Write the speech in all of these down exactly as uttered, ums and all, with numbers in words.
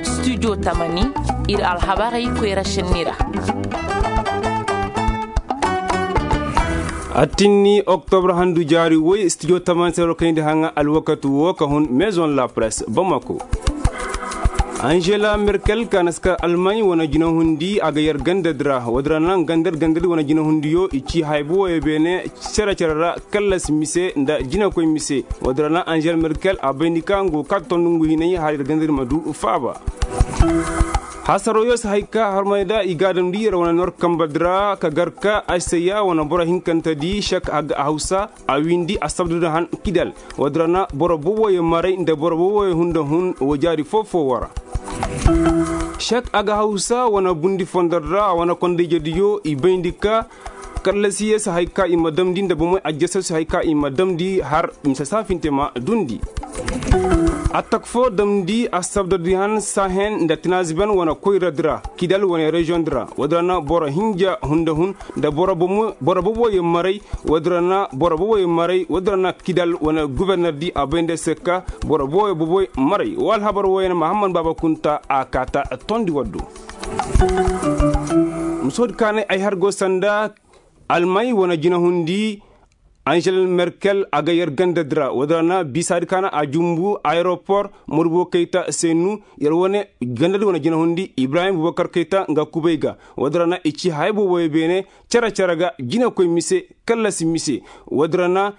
Studio tamani, ir alhabarey koyra šenni ra. Attinni oktobra handu jaari woy studio tamani se war kayndi haŋa alwakatu wo ka hun maison la presse bamako. Angela merkel ka na si ka almaaɲi wane jinahundi a ga yar gandadi ra. Woodi ra na nga nda yar gandadi wane jinahundiyo i ci haybo woyo beene, cere-cere ra, kallasi mise nda jinakoy mise. Woodi ra na angela merkel a bayndi ka nga go ka tondu ngu hinay har yar gandadi ma du faaba. Hasaroo yo si hay ka harmay da i ga a damndi yer wane nor kambadi ra ka gar ka aseya wane boro hinkantedi sek hawsa a windi a sabdu da han kidal. Woodi ra na boro boboyo maray nda boro boboyo hunda hun wo jaari foo-foo wo ra. Sek aga hawsa wane bundi fondor ra a wane kondayjediyo i bayndi ka kallasiye si hay ka i ma damndi nda bomoy ajjasoo si hay ka i ma damndi har mise saafinte ma dundi. Attak foo damndi a sabdodi han sahen nda tinaziben wane koyradi ra kidal wane reziyondi ra. Woodi ra na boro hinja hunda hun nda boro boboyo maray. Woodi ra na boro boboyo maray woodi ra na kidal wane gubernerdi a bay nda se ka boro boboyo boboyo maray wa alhabar woyene mahammad baaba kunta a kaata tondi waddu. Musoodi kaanay ay har go sanda almay wane jinahundi. Angel merkel a ga yer gandadi ra woodi ra na biisaadi kaana a jumbu ayeropor morbo kayta senu yer wane gandadi wane jinahundi ibrahim bubakar kayta nga kubay ga. Woodi ra na i ci haya boboyo beene cere-cere ga jinakoy mise kallasi mise. Woodi ra na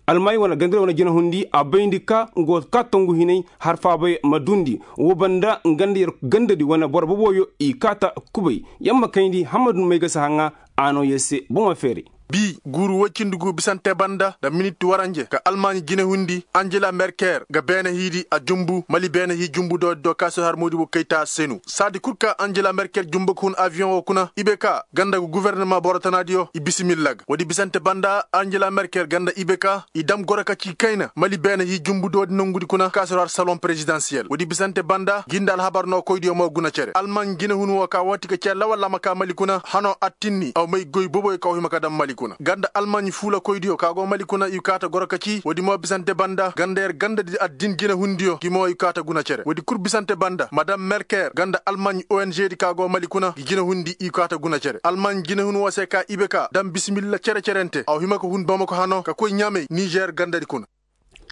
almay wane gandadi wane jinahundi a bayndi ka nga wo ka tongu hinay har faabay ma duundi. Woo banda nga nda yer gandadi wane boro boboyo i kaata kubay. Yer ma kayndi hammadu may ga si haŋa a noo yer se bomo feeray. Bi guuru woy cindi gu bisante banda nda minit waranje ka almaaɲi jinehundi angela merkel ga beene hiidi a jumbu mali beene hii jumbu doodi do kaasir har moodibo kayta senu saadi kul ka angela merkel jumbu ka hun aviyoŋ woo kuna i be ka ganda gu guwernama boro tanaadiyo i bisimilla ga woodi bisante banda angela merkel ganda i be ka i dam goro ka ci kayna mali beene hii jumbu doodi nongudi kuna kaasir har saloŋ perezidansiyel woodi bisante banda ngi nda alhabar nookoydiyo mo guna cere almaaɲi jinehun woo ka woo ti ga cee lawal a ma kaa mali kuna hanoo attinni aw may goy boboyo ka aw hima ka dam mali kuna nga nda almaaɲi fuulakoydiyo ka go mali kuna i kaata goro ka ci woodi mo bisante banda nga nda yer gandadi addin jinehundiyo ngi mo i kaata guna cere woodi kul bisante banda madam merkel nga nda almaaɲi ongdi ka go mali kuna ngi jinehundi i kaata guna cere almaaɲi jinehun woo se ka i be ka dam bisimilla cere-cerente aw hima ka hun bamako hanoo ka koy ɲaamey nizer gandadi kuna.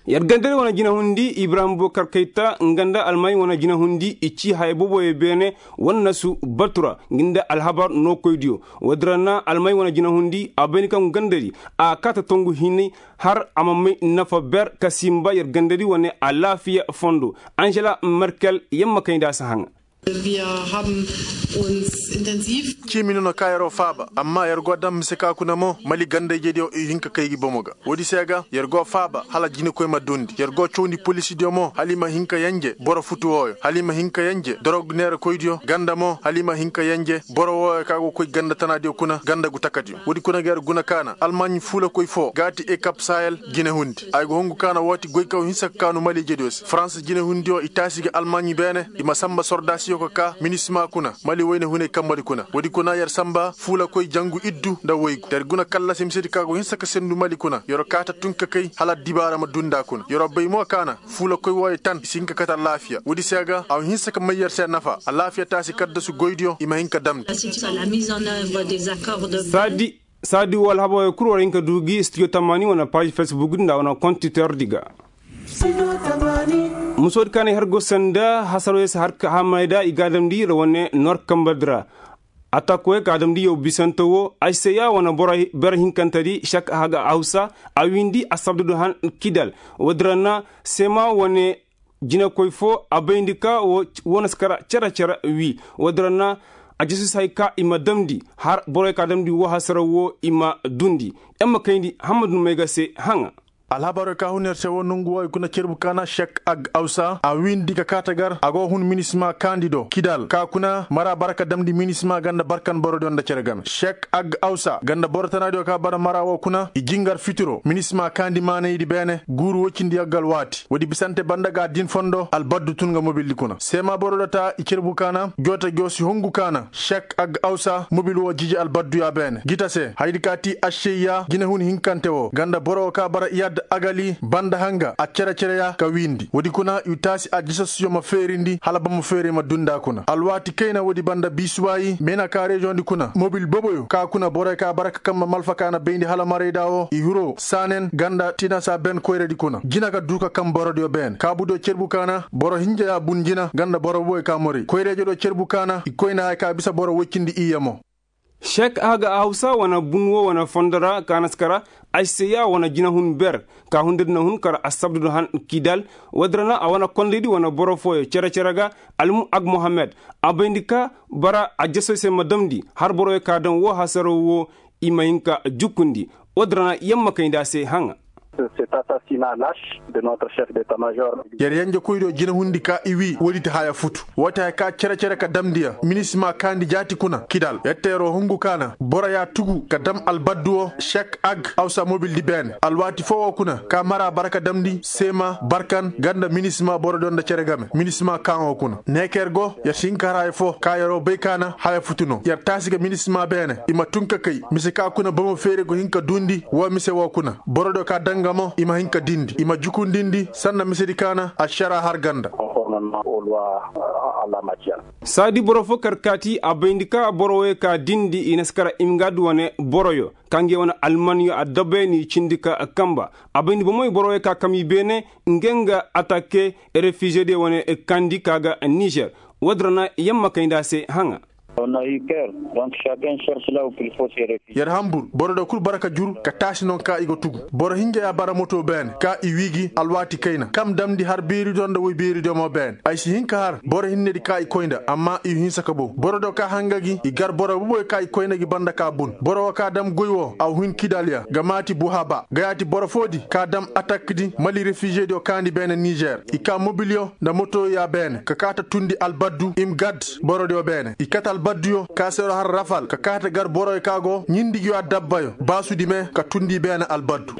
Yer gandadi wane jinahundi ibrahim bubakar kayta nga nda almaaɲi wane jinahundi i ci haya boboyo beene wannasu batu ra ngi nda alhabar nookoydiyo. Woodi ra na almaaɲi wane jinahundi a bayndi kaŋ gandadi a kaata tongu hinay har a ma may nafa ber ka sinba yer gandadi wane alaafiya fondo. Angela merkel yer ma kayndi a si haŋa. Ciimi no na ka yeroo faaba amma yer go dam mise ka kuna mo mali gandayjediyo i hin ka kay gi bomo ga woodi se ga yer go faaba hala jinekoy ma duundi yer go cawndi polisidiyo mo hala i ma hin ka yenje boro futu wooyo hala i ma hin ka yenje dorog neerakoydiyo nga nda mo hala i ma hin ka yenje boro wooyo ka go koy ganda tanaadiyo kuna nga nda gu takadiyo woodi kuna ga yer guna kaana almaaɲi fuulakoy foo ga ti ekap sahel jinehundi ay go hongu kaana woo ti goy ka aw hinsa ka kaanu maliijediyo se farans jinehundiyo i taasi ga almaaɲi beene i ma sanba sordaasiyo ka kaa minisima kuna mali woyne hunay kambadi kuna woodi kuna yer sanba fuulakoy jangu iddu nda woygu nda yer guna kallasi misedi ka go hinsa ka sendu mali kuna yer'o kaata tun ka kay hala addibaara ma dunda kuna yer'o bay mo kaana fuulakoy wooyo tan i si hin ka kate alaafiya woodi se ga a ma hinsa ka may yer se nafa alaafiya taasi kaddasu goydiyo i ma hin ka damndi. Saadi woo alhabaroo kul war hin ka duu gi studio tamaani wane paazi facebook nda wane kontitordi ga. Musoodi kaanay har go sanda hasaroo yer si har ka hamayda i ga a damndi ra wane nor kambardi ra. Attakoyey ka a damndi yow bisante woo ay se ya wane boro bere hinkantedi sek haga hawsa a wiindi a sabdudu han kidal. Woodi ra na seema wane jinakoy foo a bayndi ka woo na si kara cere-cere wii woodi ra na a jasusi hay ka i ma damndi har boroy ka a damndi woo hasara woo i ma duundi. Yer ma kayndi hammadu may ga se haŋa. Alhabaroo ka hun yer se woo nongu wooyo kuna cerbu kaana sek ag awsa a wiindi ka kaata gar a go hun minisima kaandi do kidal ka kuna mara bara ka damndi minisima ganda barkan borodiyo nda cere game sek ag awsa ganda boro tanaadiyo ka bara mara woo kuna i jingar fitiro minisima kaandi maanaydi beene guuru woy cindi yaggal waati woodi bisante banda ga din fondo albaddu tun nga mobildi kuna seema boro data i cerbu kaana joota joo si hongu kaana sek ag awsa mobil woo jiji albadduyaa beene gita se hayadi ka ti ašeyya jinehun hinkante woo ganda boro woo ka bara iyaad. Agali banda hanga a cere-cere ya ka wiindi woodi kuna i taasi a jasasuyo ma feerindi hala bamo feeray ma dundi a kuna alwaati kayna woodi banda biisuwaayi meena ka reziyoŋ di kuna mobil boboyo ka kuna borey ka bara ka kambe malfa ka na bayndi hala marayda wo i hiro saanen ganda tinasa ben koyradi kuna jina ga duu ka kambe borodiyo beene kaabudiyo cerbu ka na boro hinja ya bun jina ganda boro boboyo ka moray koyra-ijediyo cerbu ka na i koyna haya ka bisa boro woy cindi iyye mo. Šek aga hawsa wane bun wo wane fondo ra ka na si kara ay se ya wane jinahun ber ka hundadi na hun kara assabdu da han kidal. Woodi ra na a wane kondaydi wane boro fooyo cere-cere ga almu ag mohammed a bayndi ka bara a jasey se ma damndi har boroyo ka daŋ woo hasaraw woo i ma hin ka jukundi. Woodi ra na yamma kayndi a se haŋa. Yer yenjekoydiyo jinahundi ka i wii woodi ti haya futu woo ti haya ka cere-cere ka damndi ya minisima kaandi jaati kuna kidal yer te yeroo hungu ka na boro ya tugu ka dam albaddu woo šek ag awsa mobildi beene alwaati foo woo kuna ka mara bara ka damndi seema barkan nga nda minisima borodiyo nda cere game minisima kaaŋo kuna ne ka yer go yer si hin ka har haya foo ka yeroo bay ka na haya futu no yer taasi ga minisima beene i ma tun ka kay mise ka kuna bomo feere go hin ka duundi woo mise woo kuna borodiyo ka daŋ nga mo i ma hin ka diindi i ma jukundindi sanda misedi ka na ašara har ganda. Saadi boro foo kar kaati a bayndi ka boro woyey ka diindi i na si kara imgad wane boroyo ka ngey wane almanyo adabey n'i cindi ka kamba a bayndi bomoy boro woyey ka kam i beene. Ngey nga atake refiziyediyo wane kandi ka ga nizer. Woodi ra na yamma kayndi a se haŋa. Yer hanbur boro da kul bara ka jur ka taasi no ka i ga tugu boro hinja ya bara moto beene ka i wii gi alwaati kayna kam damndi har beeridiyo nda woy beeridiyo mo beene ay si hin ka har boro hinnedi ka i koy nda amma i hinsa ka bow borodiyo ka hanga gi i gar boro boboyo ka i koy nda gi banda ka bun boro woo ka dam goy woo a hin kidal ya nga maati buhaba nga yaati boro foodi ka dam atakdi mali refiziyediyo kaandi beene nizer i ka mobilyo nda motoyo ya beene ka kaata tundi albaddu imgad borodiyo beene i kate albadduyo ka seero har rafal ka kaata gar boroyo ka go ɲindigiyo adabbayo baasudi me ka tundi beene albaddu.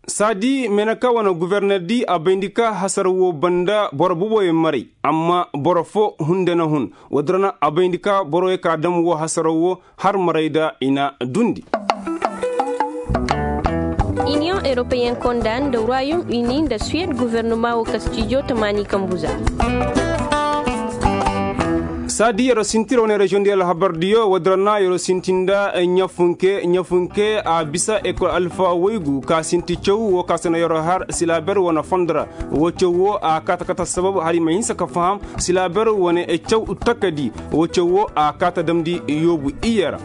Saadi meneka wane guvernerdi a bayndi ka hasaraw woo banda boro boboyo maray amma boro foo hunde na hun. Woodi ra na a bayndi ka boroyo ka dam woo hasaraw woo har marayda i na duundi. Iniyoŋ europeyen konda nda ruwayum ini nda suwed guvernuma woo kastijo tamaani kambuza. Saadi yer'o sinti ra wane reziyoŋ di alhabardiyo woodi ra na yer'o sinti nda ɲafunke ɲafunke a bisa ekol alfa waygu ka sinti caw woo ka se no yer'o har silaaber wane fondo ra. Woo caw woo a kaata kata sabab hala i ma hinsa ka faham silaaber wane caw takadi. Woo caw woo a kaata damndi yoobu iyye ra.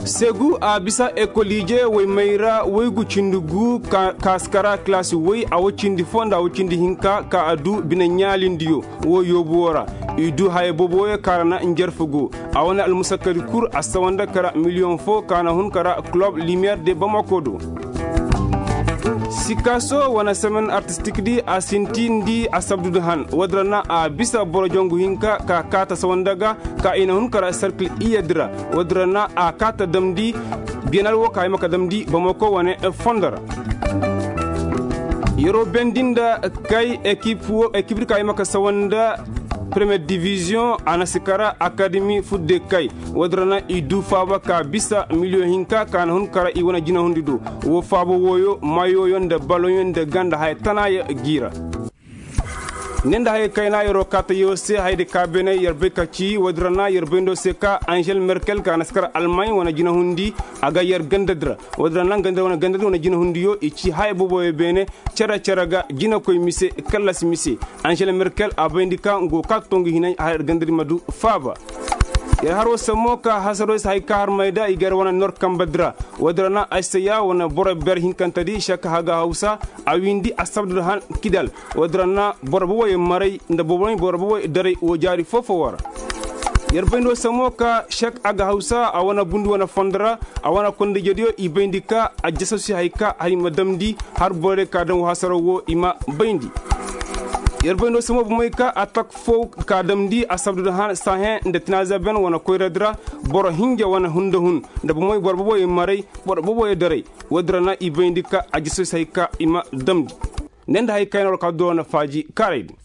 Segu a bisa ekoliije woy mayra woygu cindi gu ka si kara kilaasi woy a woy cindi foo nda a woy cindi hinka ka a duu bine ɲaalindiyo. Woo yoobu woo ra i duu haya boboyo ka ra na njarfu go. A wane almusakkadi kul a sawa nda kara miliyoŋ foo ka na hun kara kulob limiyeer de bamako do. Sikaaso wane semen artistik di a sinti nda a sabdu nda han woodi ra na a bisa boro jongu hinka ka kaata sawa nda ga ka i na hun kara serkil iyye di ra. Woodi ra na a kaata damndi biyanaal woo ka hima ka damndi bamako wane fondo ra. Yer'o bendi nda kay ekip di ka hima ka sawa nda premiyer diviziyoŋ a na si kara akademi fudde kay. Woodi ra na i duu faaba ka bisa miliyoŋ hinka ka na hun kara i wane jinahundi do. Woo faaba wooyo mayoyo nda baloŋyo nda ganda haya tanaaya g'i ra. Ne nda hayey kayna yer'o kaata yoo se hayadi ka beene yer bay ka ci woodi ra na yer bayndo se ka anžel merkel ka na si kara almaɲ wane jinahundi a ga yer gandadi ra. Woodi ra na gandadi wane jinahundiyo i ci haya boboyo beene. Cere-cere ga jinakoy mise kallas mise. Anžel merkel a bayndi ka nga go ka tongu hinay a yer gandadi ma duu faaba. Yer haroo se mo ka hasaroo se hay ka har mayda i ga yer wane nor kambadi ra. Woodi ra na ay se ya wane boro ber hinkantedi šek haga hawsa. A wiindi a sabdu nda han kidal. Woodi ra na boro boboyo maray nda boro boboyo daray woo jaari foo-foo woo ra. Yer bayndo se mo ka šek aga hawsa a wane bundi wane fondo ra. A wane kondayjediyo i bayndi ka a jasasi hay ka har i ma damndi har borey ka daŋ woo hasaraw woo i ma bayndi. Yer bayndo se mo bomey ka atak foo ka damndi a sabdu nda han sahen nda tinazaben wane koyradi ra. Boro hinja wane hunda hun nda bomey boro boboyo maray boro boboyo daray. Woodi ra na i bayndi ka a jasasi hay ka i ma damndi. Ne nda hay kayna war ka duu wane faaji kaaray din.